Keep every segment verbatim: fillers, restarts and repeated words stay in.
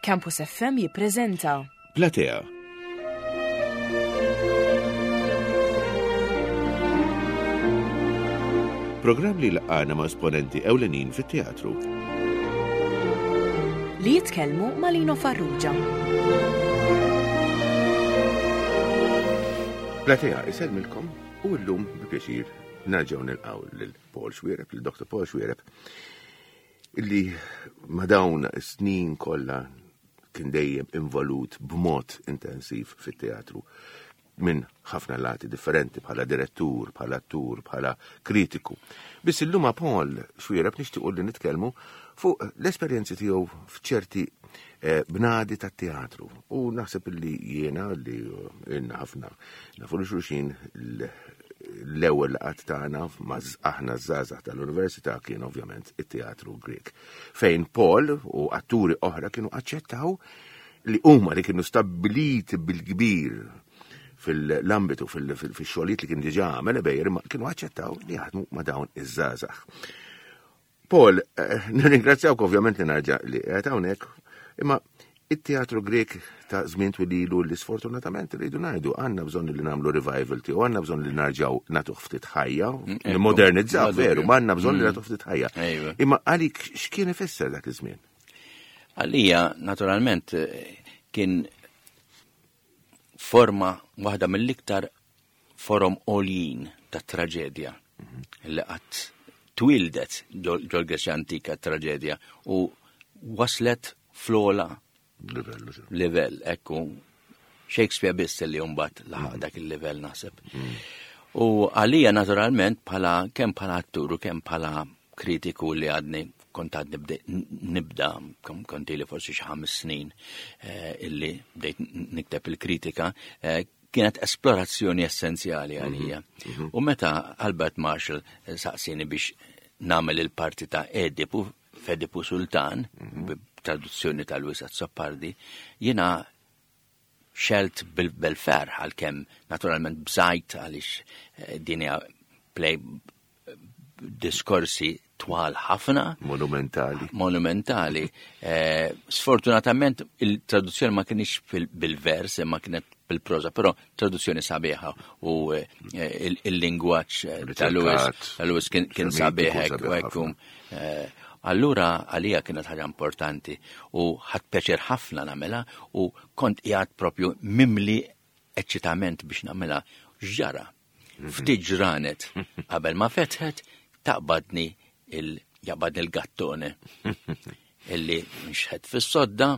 Campus F M jippreżenta Platea. Programm li laqana ma' esponenti ewlenin fit-teatru. Li jitkellmu ma' Lino Farrugia. Platea isellmilkom u llum bi pjaċir nerġgħu nilqgħu lil Paul Xuereb, lil Doctor Paul Xuereb, illi ma' dawn is-snin kollha kien dejjem involut b'mod intensiv fit-teatru minn ħafna lati differenti bħala direttur, bħala attur, bħala kritiku. Biss illum ma' Paul Xuereb nixtiequ li nitkellmu fuq l-esperjenzi tiegħu f'ċerti eh, bnadi tat-teatru. U naħseb li jiena li ilna ħafna nafu li xulxin, l-ewwel laqgħat tagħna ma' aħna żgħażagħ tal-università kien ovvjament it-teatru Grek. Fejn Paul u atturi oħra kienu aċċettaw li huma li kienu stabbiliti bil-kbir fil-ambitu, fil-xogħlijiet li kien diġà għamel Ebejer, imma kienu aċċettaw li jaħdmu ma' dawn iż-żgħażagħ. Paul, eh, nirringrazzjawk ovvjament li narġa' li qed hawnhekk, imma it-teatru Grek ta' żmien twililu li sfortunatament rridu ngħidu għandna bżonn li nagħmlu revival tiegħu, għandna bżonn li narġgħu nagħtuh ftit ħajja, Mm, ekku. nimmodernizzaw veru, ma għandna bżonn li Mm. nagħtuh ftit ħajja. Ejwa. Imma għalik x'kien ifisser dak iż-żmien? Għalija, naturalment, eh, kien forma waħda mill-iktar forom għoljin ta' traġedja li qatt twildet ġol Greċja antika traġedja u waslet fl-ogħla livellu. Livell, ekku. Shakespeare biss li mbagħad laħaq dak il-livell, naħseb. U għalija naturalment bħala kemm bħala attur u kemm bħala kritiku li għadni kont għadni nibda, kont ili forsi xi ħames snin eh, illi bdejt nikteb il-kritika, eh, kienet esplorazzjoni essenzjali għalija. U meta Albert Marshall eh, saqsini biex nagħmel il-parti ta' Edipu, f'Edipu Sultan, traduzzjoni ta' Louis Azzopardi, jiena xelt bil-ferħ, għalkemm naturalment bżajt għaliex eh, din hija play diskorsi twal ħafna. Monumentali. Monumentali. Eh, sfortunatament il-traduzzjoni ma kienx bil-vers, imma kienet bil-proza, però traduzzjoni sabiħa u eh, il-lingwaġġ ta' Louis, ta' Louis kien sabiħ u ekku. Allura għalija kienet ħaġa importanti u ħadt pjaċir ħafna nagħmilha u kont qiegħed propju mimli eċċitament biex nagħmilha. Ġara, ftit ġranet qabel ma fetħet, taqbadni il jaqbadni il-gattone illi nxħet fis-sodda,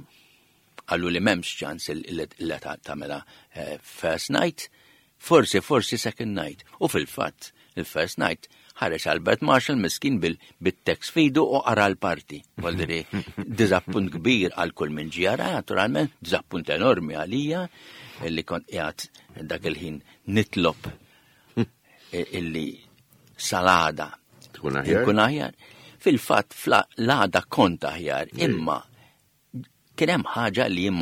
qallu li m'hemmx ċans illi tagħmilha eh, first night, forsi forsi second night. U fil-fatt, il-first night ħareġ Albert Marshall miskin bil-tekst f'idu u qara l-parti. Voldiri, dizappunt kbir għal kull min ġara, naturalment, dizappunt enormi għalija, illi kont qiegħed dak il-ħin nitlob illi sal-għada tkun aħjar. Tkun aħjar. Fil-fatt, l-għada kont aħjar, imma kien hemm ħaġa li jien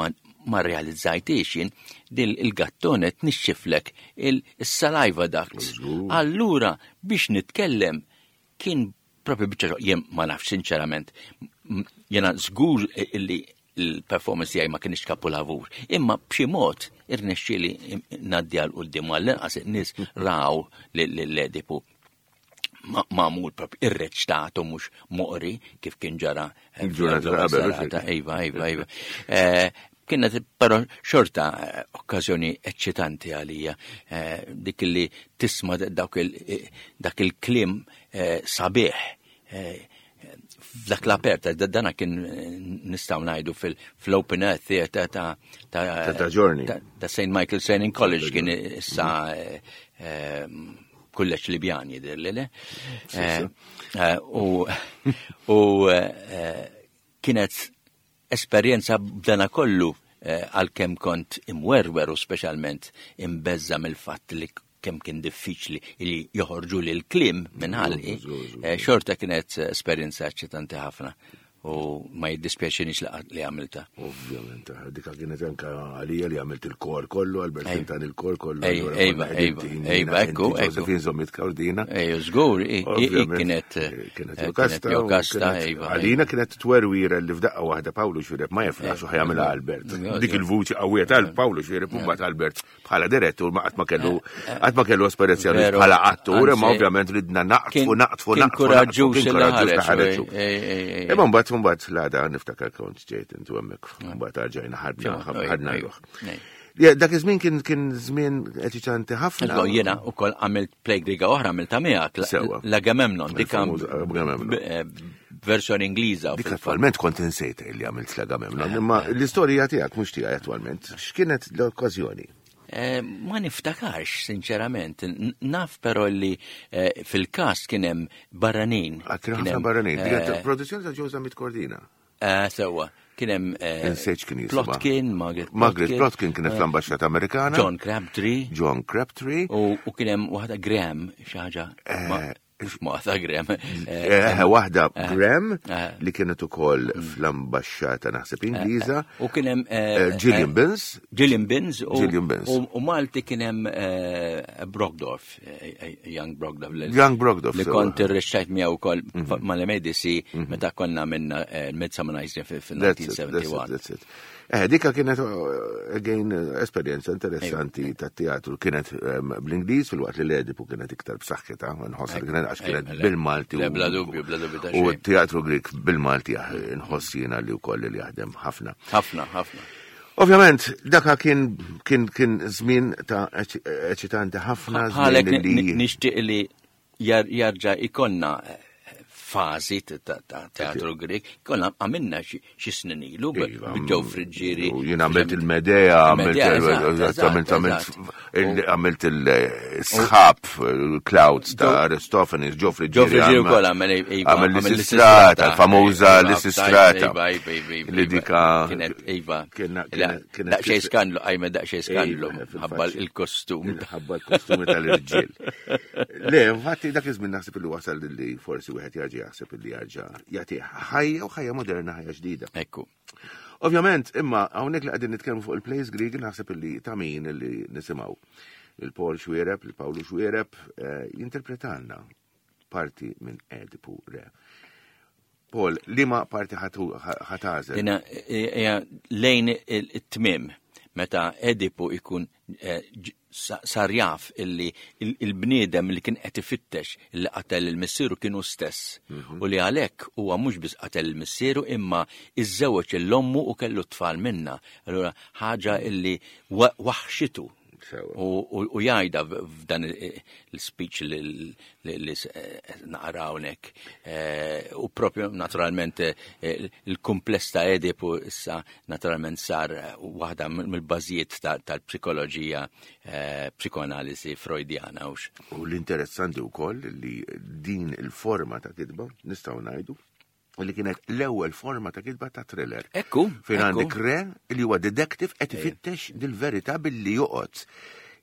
ma realizzajtix jien, dil il-gattone tnixxiflek il-saliva ducts. Allura biex nitkellem kien propju biċċa, jien ma nafx sinċerament, jiena żgur illi il-performance tiegħi ma kienx kapulavur, imma b'xi mod irnexxieli ngħaddi għal quddiem, għall-inqas in-nies raw l-Edipu magħmul propju irreċtatu, mhux moqri kif kien ġara il-ġurnata qabel. Iva, iva, iva. Eh, kienet però xorta eh, okkażjoni eċċitanti għalija, eh, dik li tisma' dak il-kliem sabiħ f'dak l-aperta, dana kien nistgħu ngħidu fil-Open Air Theatre ta' ta' Giorni. Ta' Saint Michael Training College, kien issa kulleġġ Libjan jidher li le. U kienet esperjenza b'dana kollu, għalkemm kont imwerwer u speċjalment imbeżza mill-fatt li kemm kien diffiċli li joħorġu li l-kliem minn ħalqi, xorta kienet esperjenza eċċitanti ħafna. U ma jiddispjaċinix li għamilta. Ovvjament, dika kienet anka għalija li għamilt il-kor kollu, Albert Quintana il-kor kollu. Ejba, ejba, ejba, ekku, ekku. Josephine Zammit Cardina. Ejju, żgur, kienet kienet Jokasta, ejba. Għalina kienet twerwira li f'daqqa waħda Pawlu Xuereb ma jaflax u ħajamilha Albert. Dik il-vuċi qawwija tal Pawlu Xuereb u mbagħad Albert bħala direttur ma qatt ma kellu qatt ma kellu esperjenza bħala attur, imma ovvjament ridna naqtfu, naqtfu, naqtfu. Kien kuraġġuż. Imma mbagħad mbagħad l-għada niftakar kont ġejt intu hemmhekk, mbagħad rġajna ħadna ħadna ruħ. Dak iż-żmien kien kien żmien eċitanti ħafna. Jiena wkoll għamilt play Griega oħra għamilta miegħek, l-Agamemnon, dik versjoni Ingliża. Dik attwalment kont insejt li għamilt l-Agamemnon, imma l-istorja tiegħek mhux tiegħi attwalment. X'kienet l-okkażjoni? Ma niftakarx, sinċerament. Naf però li fil-kast kien hemm barranin. Kien ħafna barranin. Produzzjoni ta' Joe Zammit Cordina. Sewwa. Kien hemm Plotkin, Margaret Margaret Plotkin kienet fl-Ambaxxata Amerikana. John Crabtree. John Crabtree. U kien hemm waħda Graham, xi ħaġa. Waħda Graham. Waħda Graham li kienet ukoll fl-ambaxxata naħseb Ingliża. U kien hemm Gillian Binns. Gillian Binns. Gillian Binns. U Malti kien hemm Brogdorf, Young Brogdorf. Young Brogdorf. Li kont irrexxajt miegħu wkoll mal-M A D C meta konna minna Midsummer Night's Dream fil-nineteen seventy-one. That's it. Eh, dika kienet, again, esperjenza interessanti ta' teatru. Kienet bl-Ingliż fil-waqt li l-Edipu kienet iktar b'saħħitha, nħoss li kienet għax kienet bil-Malti. Bla dubju, bla dubju ta' xejn. U t-teatru Grik bil-Malti nħoss jiena li wkoll li jaħdem ħafna. Ħafna, ħafna. Ovvjament, daka kien kien kien żmien ta' eċitanti ħafna. Għalhekk nixtieq li jarġa' ikonna fażi ta' teatru Grek, konna għamilna xi snin ilu b'Joe Friggieri. Jien għamilt il-Medea, għamilt il-sħab, il-Clouds ta' Aristophanes, Joe Friggieri. Joe Friggieri wkoll għamel għamel l-Istrata, l-famuża l-Istrata. Li dika. Kienet iva. Daqsxejn skandlu, għajme daqsxejn skandlu, ħabba il-kostum. Ħabba l-kostumi tal-irġiel. Le, infatti dak iż-żmien naħseb li wasal li forsi wieħed jarġa' jaħseb li jarġa' jagħti ħajja u ħajja moderna, ħajja ġdida. Ekku. Ovvjament, imma hawnhekk li qegħdin nitkellmu fuq il-plays Grieg naħseb li ta' min li nisimgħu. Il-Paul Xuereb, il-Pawlu Xuereb jinterpretalna parti minn Edipu Re. Paul, liema parti ħatażel? Dina hija lejn it-tmiem meta Edipu ikun sar jaf illi il-bniedem li kien qed ifittex illi qatel il-missieru kienu stess. U li għalhekk huwa mhux biss qatel il-missieru imma iżżewweġ l-ommu u kellu tfal minna. Allura ħaġa illi waħxitu. U jgħidha f'dan il-speech li naqra hawnhekk. U propju naturalment il-kumpless ta' Edipu issa naturalment sar waħda mill-bażijiet tal-psikoloġija, psikoanalisi freudjana. U l-interessanti wkoll li din il-forma ta' kitba nistgħu ngħidu li kienet l-ewwel forma ta' kitba ta' thriller. Ekku. Fejn għandek re li huwa detective qed ifittex dil-verità billi joqgħod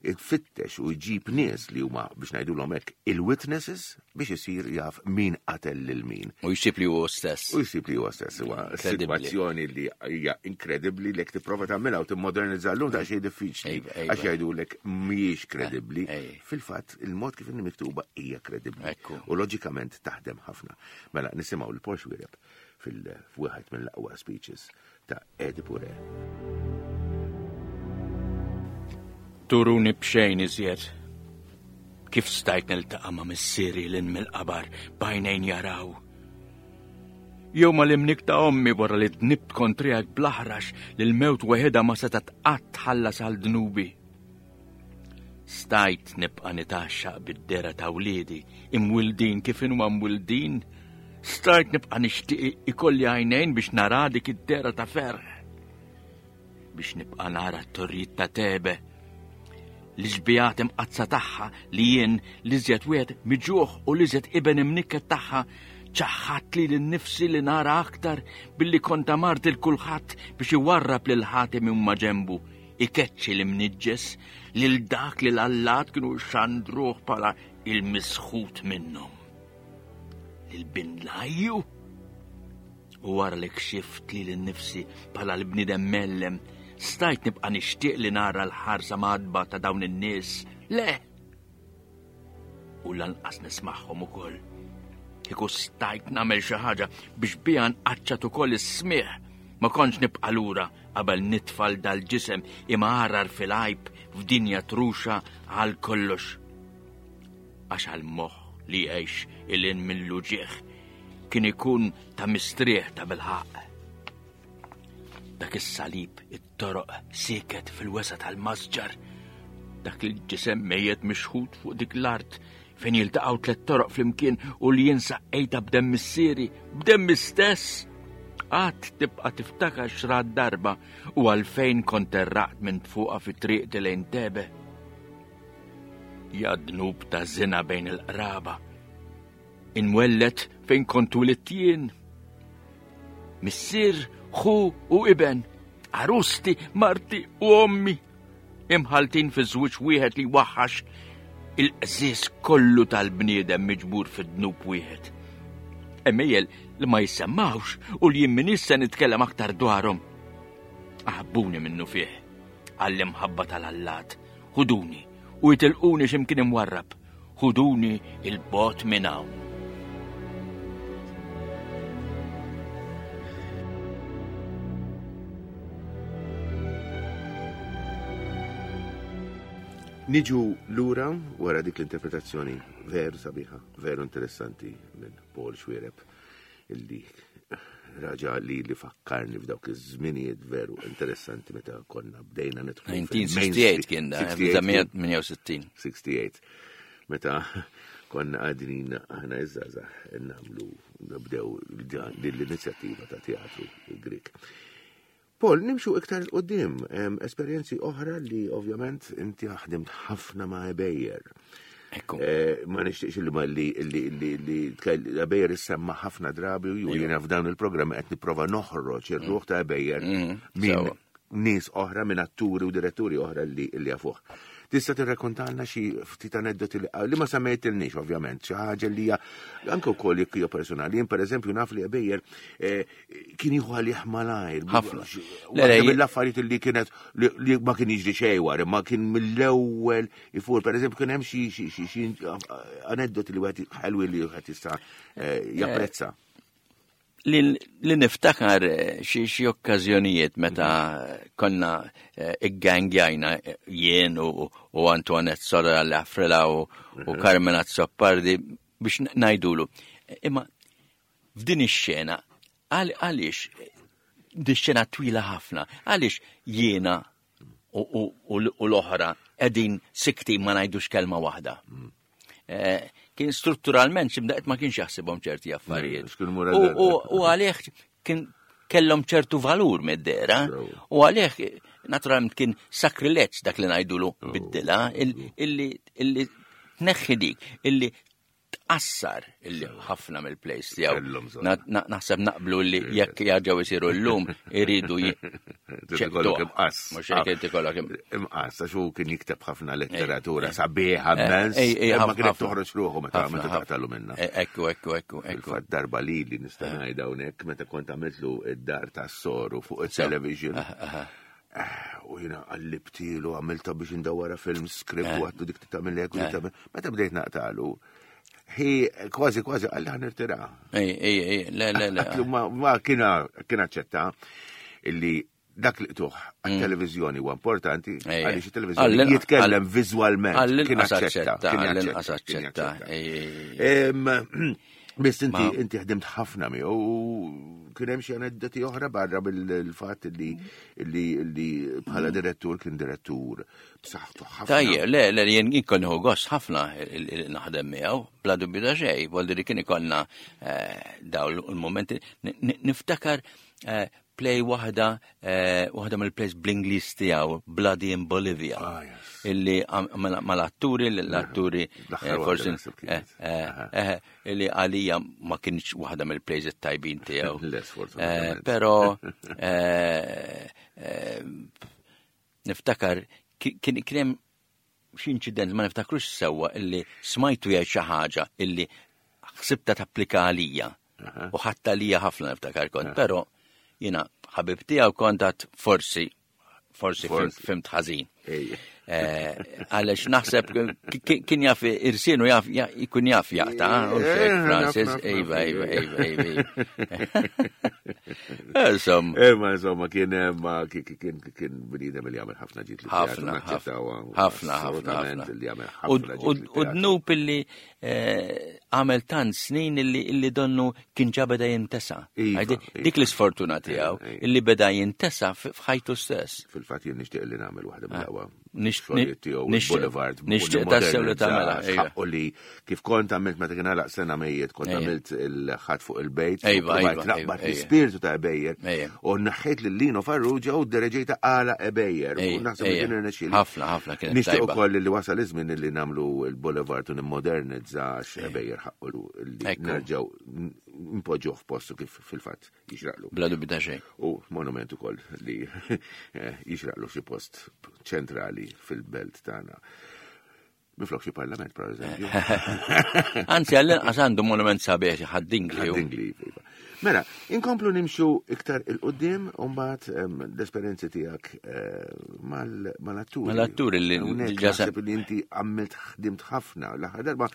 ifittex u jġib nies li huma biex ngħidulhom hekk il-witnesses biex isir jaf min qatel lil min. U jsib li huwa stess. U jsib li huwa stess. Huwa sitwazzjoni li hija inkredibbli li jekk tipprova tagħmilha u timmodernizza llum ta' xejn diffiċli għax jgħidulek mhijiex kredibbli. Fil-fatt il-mod kif inhi miktuba hija kredibbli. U loġikament taħdem ħafna. Mela nisimgħu l Paul Xuereb fil-wieħed mill-aqwa speeches ta' Edipu Re. Turuni b'xejn iżjed. Kif stajt niltaqa' ma' missieri lil mill-qabar b'għajnejn jaraw? Jew ma l-imnik ta' ommi wara li dnibt kontrijak bl-aħrax li l-mewt weħeda ma setgħet qatt tħallas għal dnubi. Stajt nibqa' nitaxxaq bid-dera ta' wliedi imwildin kif inhuma mwildin. Stajt nibqa' nixtieq ikolli għajnejn biex nara dik id-dera ta' ferħ. Biex nibqa' nara t-torrijiet ta' Tebe, l-ġbijat imqazza tagħha li jien l-iżjed wieħed miġuħ u l-iżjed iben imnikket tagħha ċaħħat li l-nifsi li nara aktar billi kont amart il kulħadd biex iwarrab lil ħatim minn maġenbu, ikeċċi l-imniġġes lil dak li l-allat kienu xandruh bħala il-misħut minnhom. Lil bin Lajju U wara li kxift lili nnifsi bħala l-bniedem mellem, stajt nibqa' nixtieq li nara l-ħarsa madba ta' dawn in-nies. Le! U lanqas nismagħhom ukoll. Kieku stajt nagħmel xi ħaġa biex biha nqaċċat ukoll is-smigħ, ma kontx nibqa' lura qabel nitfal dal-ġisem imgħarrar fil-għajb f'dinja truxa għal kollox. Għax għall-moħħ li jgħix ilin mill-uġigħ kien ikun ta' mistrieħ ta' bilħaq. Dak is-salib it-toroq siket fil-wesa tal-masġar, dak il-ġisem mejjet mixħut fuq dik l-art fejn jiltaqgħu tliet toroq flimkien u li jinsa ejta b'demm missieri, b'demm istess. Qatt tibqa' tiftakar xrad darba u għalfejn kont terraqt minn fuqha fit-triq lejn Tebe. Ja dnub ta' żina bejn il-qraba. Inwellet fejn kontu l-ittjien. Missier, ħu u iben, arusti, marti u ommi, imħaltin fi żwieġ wieħed li waħħax il-qżież kollu tal-bniedem miġbur fid-dnub wieħed. Emmejjel li ma jissemmawx u li jien m'iniex se nitkellem aktar dwarhom. Aħbuni minnu fih, għall-imħabba tal-allat, ħuduni u jitilquni x'imkien imwarrab, ħuduni il-bot minn hawn. Niġu lura wara dik l-interpretazzjoni veru sabiħa, veru interessanti minn Paul Xuereb, illi raġa li li fakkarni f'dawk iż-żminijiet veru interessanti meta konna bdejna nidħlu. nineteen sixty-eight kien da, tmienja u sittin. sixty-eight. Meta konna għadin aħna iż-żgħażagħ nagħmlu nibdew l-inizjattiva ta' teatru Grek. Paul, nimxu iktar 'il quddiem, esperjenzi oħra li ovvjament inti ħdimt ħafna ma' Ebejer. Ekku. Eh, ma nixtieqx li ma li li li li Ebejer issemma ħafna drabi u jiena f'dawn il-programm qed nipprova noħroġ ir-ruħ ta' Ebejer minn nies oħra, minn atturi u diretturi oħra li li jafuh. Tista' tirrakkontalna xi ftit aneddoti li, li ma semmejtilniex ovvjament, xi ħaġa li hija anke wkoll jekk hija personali. Jien pereżempju naf li Ebejer eh, kien jieħu għalih malajr. Ħafna. Le, le, mill-affarijiet li kienet li, li ma kien jiġri xejn wara, ma kien mill-ewwel ifur. Pereżempju kien hemm xi, xi, xi, xi aneddoti li wieħed ħelwi li wieħed jista' eh, japprezza. Li, li niftakar xi, xi okkażjonijiet meta konna eh, iggangjajna jien u, u Antoinette Sora Lafrela u, u Carmen Azzopardi biex ngħidulu. Imma f'din ix-xena, għaliex din xena twila ħafna, għaliex jiena u, u, u, u l-oħra qegħdin sikti ma ngħidux kelma waħda. Eh, kien strutturalment x'imdaqt ma kienx jaħsibhom ċerti affarijiet. Mm, x'kien mura U, dar. u, u għalih kien kellhom ċertu valur mid-dera, Bravo. u għalih naturalment kien sakrileġġ dak li ngħidulu Oh. biddilha, illi, illi tneħħi dik, illi tqassar illi ħafna mill-plays tiegħu. Kellhom bżonn. Na-, na-, naħseb naqblu li jekk jarġgħu jsiru llum iridu j- Trid ikollok imqass. Mhux hekk irid ikollok im- Imqass, għax hu kien jikteb ħafna letteratura sabiħa immens, Ej, ej, imma ħafna, kienet ħafna. toħroġ ruħu meta Ħafna, meta ħafna. taqtalu minnha. E, Ekku, ekku, ekku, ekku. Fil-fatt darba li li nista' ngħid hawnhekk meta kont għamiltlu id-dar tas-soru fuq it-television. U jiena qallibtilu għamilta biex indawwara film script u għattu dik tagħmel hekk u dik tagħmel. Meta bdejt naqtalu, hi kważi kważi qalli ħa nirtira. Ej, ej, ej, le, le, le. Għatlu ma, ma kien kien aċċetta illi dak li qtuħ għat-televiżjoni huwa importanti Ej, għaliex it-televiżjoni għall-inqas- jitkellem viżwalment. Kien Għall-inqas aċċetta, aċċetta, kien għall-inqas jaċċetta, kien aċċetta. jaċċetta. Ej, ej, ej. Em, Biss inti Ma- inti ħdimt ħafna miegħu u kien hemm xi aneddoti oħra barra bil-fatt li li li bħala direttur kien direttur b'saħħtu ħafna. Tajjeb, le, le, jien kont nieħu gost ħafna il-, il-, naħdem miegħu, bla dubju ta' xejn, vuol dire kien ikollna, eh, dawn il-momenti. N-, n-, niftakar, eh, play waħda, eh, waħda mill-plays bl-Ingliż tiegħu, Bloody in Bolivia. Ah, yes. Illi għam-, mal-, mal-atturi, l-atturi, L-aħħar eh, waħda forsi, naħseb kienet. eh, eh, Aha. eh, illi għalija ma kienx waħda mill-plays it-tajbin tiegħu. Le, sfortunatament. Eh, però, eh, eh, niftakar ki-, kien, kien hemm xi inċident, ma niftakrux sewwa, illi smajtu jgħid xi ħaġa illi ħsibta tapplika għalija. U ħatta lija ħafna niftakar kont, però jiena ħabib tiegħu kont għad forsi forsi fimt ħażin. Għaliex naħseb kien jaf irsinu jaf jkun jaf jaqta' u xejn Francis, iva, iva, iva, iva. Insomma. Imma insomma kien kien kien bniedem li jagħmel ħafna ġid. Ħafna, ħafna, ħafna. U dnub illi għamel tant snin illi donnu kien ġa beda jintesa. Dik l-isfortuna tiegħu illi beda jintesa f'ħajtu stess. Fil-fatt jien nixtieq li nagħmel waħda mill-aqwa. Nixtieq nixtieq tassew li tagħmilha. U li kif kont għamilt meta kien għalaq sena mejjet, kont għamilt il-ħadd fuq il-bejt, naqbad l-ispirtu ta' Ebejer u naħħejt lil Lino Farrugia u ddereġejta għala Ebejer. U naħseb li kien irnexxieli. Ħafna, ħafna kienet. Nixtieq ukoll li wasal iż-żmien li nagħmlu l-Boulevard u nimmodernizza Ebejer ħaqqu li nerġgħu npoġġuh f'postu kif fil-fatt jixraqlu. Bla dubju ta' xejn. U monument ukoll li jixraqlu xi post ċentrali fil-belt tagħna. Minflok xi parlament, per eżempju. Anzi, għall-inqas għandu monument sabiħ Ħad-Dingli. Ħad-Dingli, iva. Mela, inkomplu nimxu iktar il-qudiem u mbagħad l-esperjenzi tiegħek mal-atturi. Mal-atturi li naħseb li inti għamilt ħdimt ħafna l-aħħar darba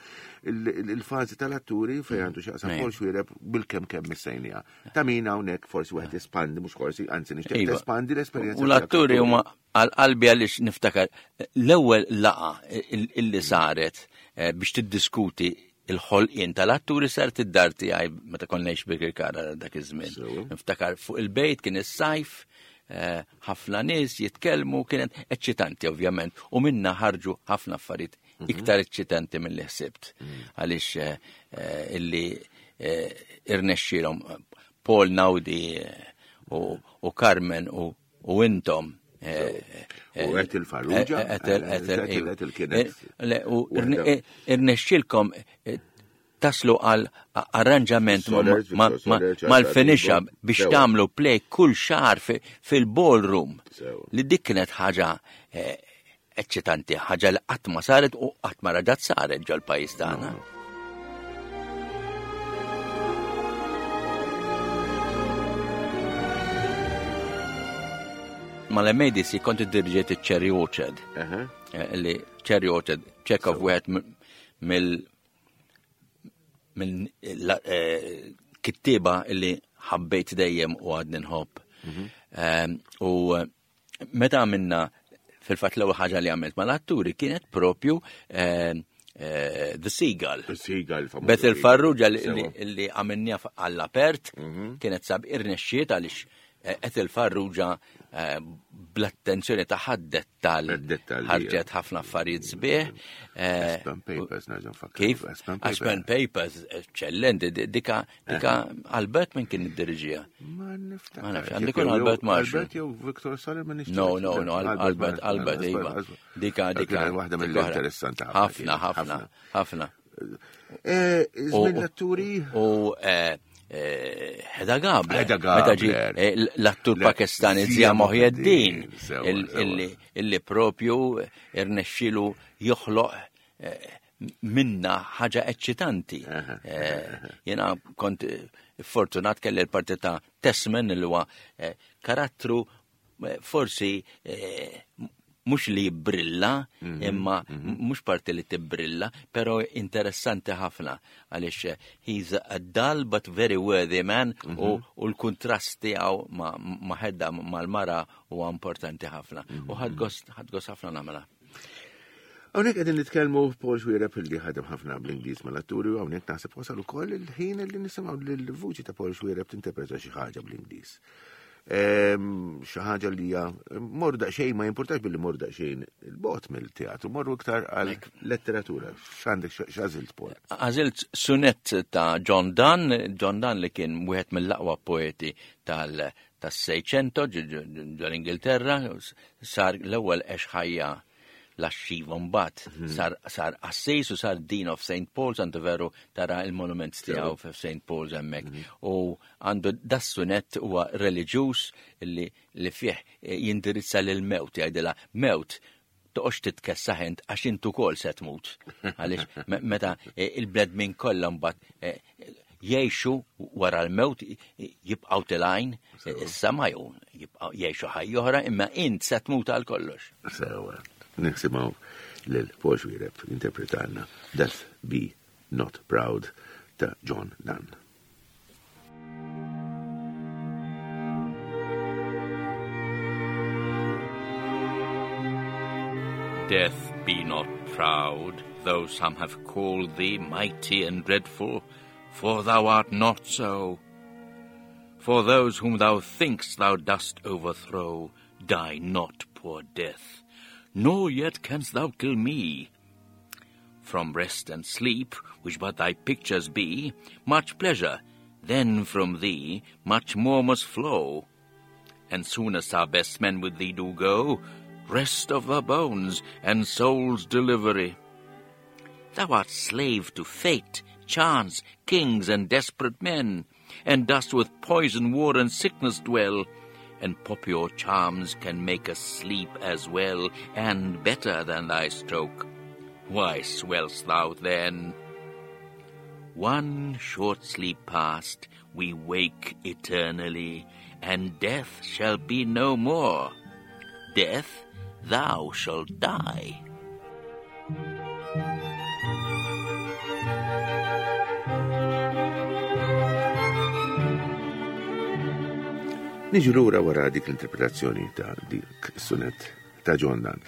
il-fażi tal-atturi fejn għandu x'jaqsam Paul Xuereb bil-kemm kemm missejniha. Ta' min hawnhekk forsi wieħed jespandi, mhux forsi, anzi nixtieq tespandi l-esperjenza. U l-atturi huma għal-qalbi għaliex niftakar l-ewwel laqa illi saret biex tiddiskuti il-ħolqien tal-atturi saret id-dar tiegħi meta konna ngħix Birkirkara dak iż-żmien. Niftakar fuq il-bejt kien is-sajf, ħafna nies jitkellmu, kienet eċċitanti ovvjament, u minna ħarġu ħafna affarijiet iktar eċċitanti milli ħsibt. Għaliex illi irnexxielhom Paul Naudi u Carmen u intom. U Ethel Farrugia. Ethel, Ethel kienet. U irnexxielkom taslu għal arranġament mal-finisha biex tagħmlu play kull xahar fil-ballroom. Li dik kienet ħaġa eċċitanti, ħaġa li qatt ma saret u qatt ma raġat saret ġol-pajjiż tagħna. Mal-M A D C kont iddirġiet iċ-Cherry Orchard. Li Cherry Orchard, Chekhov wieħed mill mill kittieba li ħabbejt dejjem u għadni nħobb. U meta għamilna fil-fatt l-ewwel ħaġa li għamilt mal-atturi kienet propju The Seagull. The Seagull. Bethel Farrugia li għamilniha għall-apert kienet sab irnexxiet għaliex Ethel Farrugia bl-attenzjoni ta' ħaddet tal ħarġet ħafna affarijiet sbieħ. Aspen Papers, nerġa' nfakkar. Kif? Aspen Papers, eċċellenti. Dika dika Albert min kien iddiriġiha? Ma niftakar. Ma nafx, għandu jkun Albert Marshall. Albert jew Victor Saller ma nixtieq. No, no, no, Albert, Albert, iva. Dika, dika. Waħda mill-interessanti ħafna. Ħafna, ħafna, ħafna. Żmien l-atturi? U Hedda Gabler. Meta ġie l-attur Pakistani Zia Mohyeddin illi propju irnexxielu joħloq minna ħaġa eċċitanti. Jiena kont fortunat kelli l-parti ta' Tessman li huwa karattru forsi mhux li jibbrilla, imma mhux parti li tibbrilla, però interessanti ħafna għaliex he's a dull but very worthy man u l-kuntrast tiegħu ma' Hedda mal-mara huwa importanti ħafna. U ħadd gost ħafna nagħmilha. Hawnhekk qegħdin nitkellmu Paul Xuereb li ħadem ħafna bl-Ingliż mal-atturi u hawnhekk naħseb wasal ukoll il-ħin li nisimgħu lill-vuċi ta' Paul Xuereb tinterpreta xi ħaġa bl-Ingliż. Xi ħaġa li hija morru daqsxejn, ma jimpurtax billi morru daqsxejn il-bot mill-teatru, morru iktar għal letteratura. X'għandek x'għażilt Paul? Għażilt sunett ta' John Donne, John Donne li kien wieħed mill-aqwa poeti tal tas-Seicento ġol-Ingilterra, sar l-ewwel għex ħajja laxxiva mbagħad sar sar qassis u sar Dean of Saint Paul's, għandu veru tara il-monument tiegħu f'Saint Paul's hemmhekk. U għandu das-sunett huwa reliġjuż li li fih jindirizza lil mewt, jgħidilha mewt toqgħodx titkessaħ int għax int ukoll se tmut. Għaliex meta il-bnedmin kollha mbagħad jgħixu wara l-mewt, jibqgħu telgħin is-sema jew jibqgħu jgħixu ħajja oħra, imma int se tmut għal kollox. Sewa, nisimgħu lil Paul Xuereb interpretanna Death Be Not Proud ta' John Donne. Death, be not proud, though some have called thee mighty and dreadful, for thou art not so. For those whom thou think'st thou dost overthrow, die not, poor death, nor yet canst thou kill me. From rest and sleep, which but thy pictures be, much pleasure, then from thee much more must flow. And soon as our best men with thee do go, rest of the bones and soul's delivery. Thou art slave to fate, chance, kings, and desperate men, and dost with poison, war, and sickness dwell, and popular charms can make us sleep as well and better than thy stroke. Why swell'st thou then? One short sleep past, we wake eternally, and death shall be no more. Death, thou shalt die. Niġu lura wara dik l-interpretazzjoni ta' dik sunet ta' John Donne.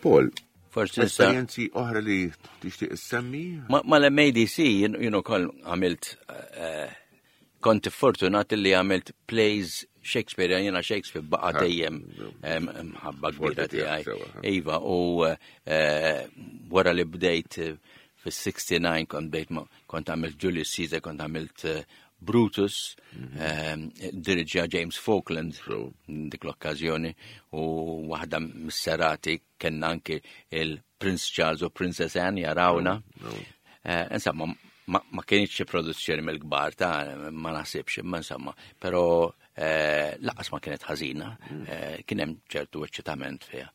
Paul, Forsi issa esperjenzi oħra li tixtieq issemmi? Ma mal-M A D C jien ukoll għamilt, eh, kont fortunat li għamilt plays Shakespeare, jiena Shakespeare baqa' Ah, dejjem em, mħabba kbira Forti tiegħek, tiegħi. sewa, ha. Iva, u eh, wara li bdejt eh, fis-sixty-nine kont bdejt ma- kont għamilt Julius Caesar, kont għamilt eh, Brutus, em, diriġja James Falkland So. dik l-okkażjoni, u waħda mis-serati kellna anki il-Prince Charles u Princess Anne jarawna. Eh, Insomma, ma, ma kienx xi produzzjoni mill-kbar ta' ma naħsibx, imma insomma, però eh, lanqas ma kienet ħażina, eh, kien hemm ċertu eċċitament fiha.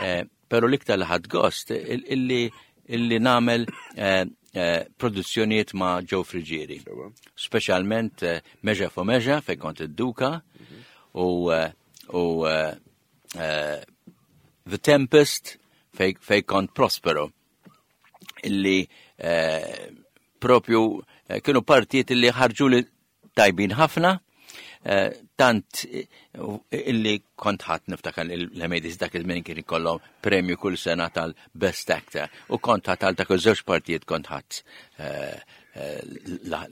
Eh, Però l-iktar li ħadt gost il- illi illi nagħmel eh, eh, produzzjonijiet ma' Joe Friggieri. Sewa. Speċjalment eh, Measure for Measure fejn kont id-Duka u eh, u eh, eh, The Tempest fej, fej kont Prospero, illi eh, propju eh, kienu partijiet illi ħarġu li tajbin ħafna, eh, tant eh, illi kont ħadd, niftakar l-M A D C dak iż-żmien kien ikollhom premju kull sena tal-Best Actor, u kont ħadd għal dak iż-żewġ partijiet, kont ħadd eh, eh, la-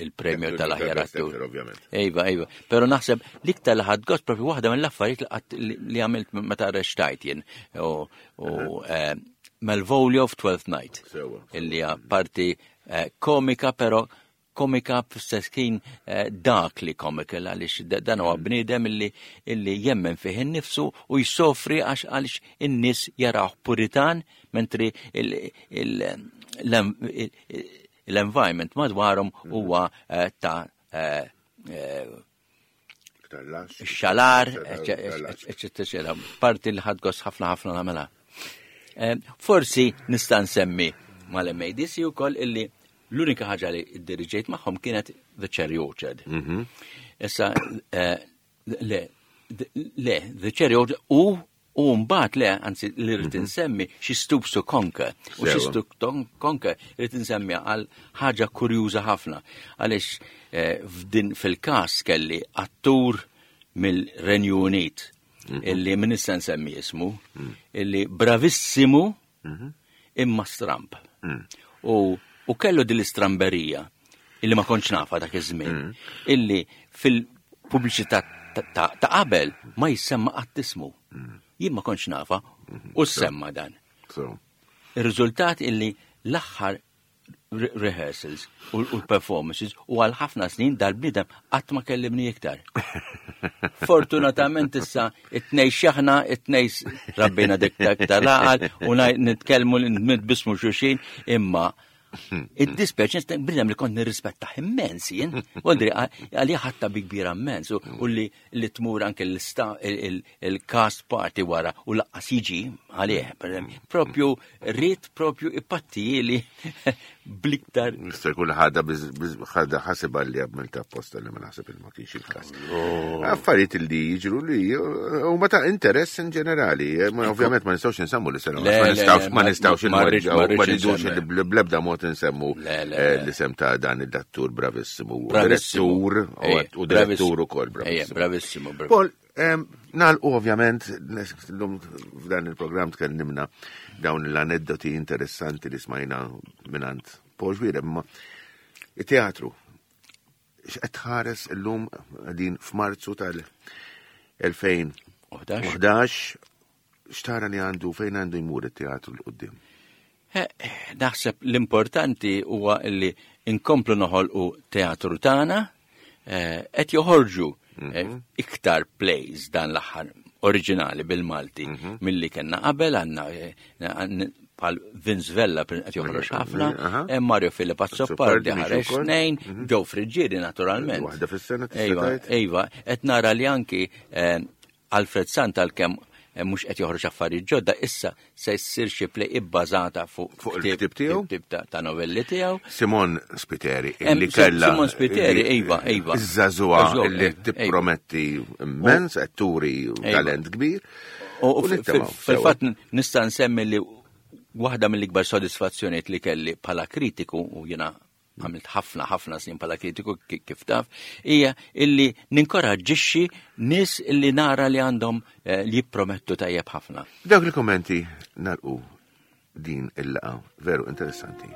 il-premju tal-aħjar Best attur. Actor, ovvjament. Iva, iva. Pero naħseb l-iktar li ħadt gost propju waħda mill-affarijiet li qatt- li li għamilt meta reċtajt jien. U u, eh, Malvolio of Twelfth Night. Sewa. Illi hija parti eh, komika, pero komika fl-istess ħin eh, darkly comical, għaliex da- dan huwa bniedem illi illi jemmen fih innifsu u jsofri għax għaliex in-nies jaraw puritan, mentri il- il- l- l-environment madwarhom huwa eh, ta' eh, eh, Iktar lax. xalar, Iktar lax. eccetera, eccetera. Parti li ħadt gost ħafna ħafna nagħmilha. Eh, Forsi nista' nsemmi mal-M A D C ukoll illi l-unika ħaġa li diriġejt magħhom kienet The Cherry Orchard. Issa, eh, le, le, The Cherry Orchard u u mbagħad le, anzi li rrid insemmi She Stoops to Conquer. U She Sewa. Stoops to Conquer rrid insemmi għal ħaġa kurjuża ħafna. Għaliex eh, f'din fil-każ kelli attur mill-Renju Unit illi min issa nsemmi ismu, illi bravissimu imma stramp. U, u kellu din l-istramberija illi ma kontx nafa dak iż-żmien, illi fil-pubbliċità ta' ta' ta' qabel ma jissemma qatt ismu. Jien ma kontx nafa u semma dan. So, Ir-riżultat illi l-aħħar re- rehearsals u u l-performances u għal ħafna snin dal-bniedem qatt ma kellimni iktar. Fortunatament issa it-tnej xaħna, it-tnej s- rabbina dik dak tal-għaqal u ngħid- nitkellmu nitbismu xulxin, imma id-dispeċ bniedem li kont nirrispetta immens jien. Voldiri, għalija ħatta bi kbira immens u u li li tmur anke l-sta- il- il- il-cast party wara u lanqas jiġi għalih. Per eżempju. Propju rrit propju ipattijili Bliktar. Mister kull ħada ħada ħasibha li għamilta apposta li ma naħseb il ma kienx il-każ. Affarijiet li jiġru li huma ta' interess in ġenerali. Ovvjament ma nistgħux insemmu li sena ma nistgħux ma nistgħux inweġġgħu ma rridux bl-ebda mod insemmu l-isem ta' dan id-dattur bravissimu. Direttur u direttur ukoll bravissimu. Bravissimu. Paul, nagħlqu ovvjament llum f'dan il-programm tkellimna dawn l-aneddoti interessanti li smajna mingħand Paul Xuereb, imma it-teatru x'qed tħares illum din f'Marzu tal-elfejn u ħdax, x'tara li għandu fejn għandu jmur it-teatru l quddiem? Naħseb l-importanti huwa li inkomplu noħolqu teatru tagħna, qed joħorġu iktar plays dan l-aħħar oriġinali bil-Malti milli kellna qabel, għandna bħal Vince Vella qed joħroġ ħafna, Mario Filip Azzopardi ħareġ tnejn, Joe Friggieri naturalment. Waħda fis-sena tista' tgħid. Ejwa, qed nara li anki Alfred Sant għalkemm mhux qed joħroġ affarijiet ġodda, issa se jsir xi play ibbażata fuq fuq il-ktieb tiegħu, ktieb ta' novelli tiegħu. Simon Spiteri, illi kellha Simon Spiteri, ejwa, ejwa. Iż-żagħżugħa illi tipprometti immens, qed turi talent kbir. U fil-fatt nista' nsemmi li waħda mill-ikbar sodisfazzjonijiet li kelli bħala kritiku, u jiena għamilt ħafna ħafna snin bħala kritiku kif taf, hija illi ninkoraġġixxi nies illi nara li għandhom li jippromettu tajjeb ħafna. Dawk il-kommenti nagħlqu din il-laqgħa veru interessanti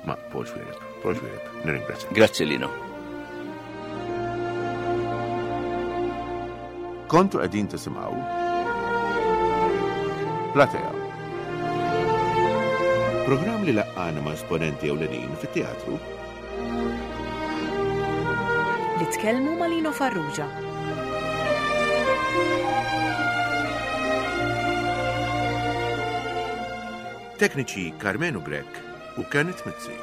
ma' Paul Xuereb. Paul Xuereb, nirringrazzjak. Grazzi Lino. Kontu qegħdin tisimgħu Platea. Programm li laqqana ma' esponenti ewlenin fit-teatru li tkellmu ma' Lino Farrugia. Tekniċi Karmenu Grech u Kenneth Mizzi.